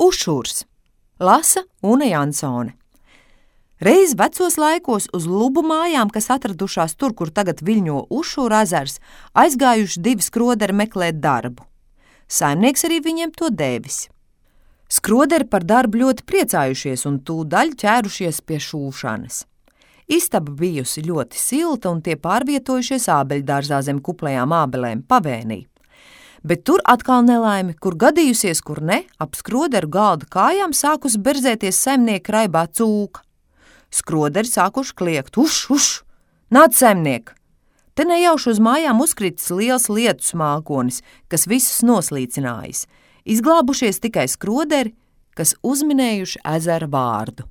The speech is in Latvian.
Ušurs. Lasa Une Jansone. Reiz vecos laikos uz Lubu mājām, kas atradušās tur, kur tagad viļņo Ušura ezers, aizgājuši 2 skroderi meklēt darbu. Saimnieks arī viņiem to devis. Skroderi par darbu ļoti priecājušies un tūdaļ ķērušies pie šūšanas. Istaba bijusi ļoti silta un tie pārvietojušies ābeļdārzā zem kuplajām ābelēm pavēnī. Bet tur atkal nelaime, kur gadījusies, kur ne, ap skroderu galda kājām sākus berzēties saimnieka raibā cūka. Skroderi sākuši kliegt, uš, nāc saimniek! Te nejauši uz mājām uzkritis liels lietus mākonis, kas visus noslīcinājis. Izglābušies tikai skroderi, kas uzminējuši ezera vārdu.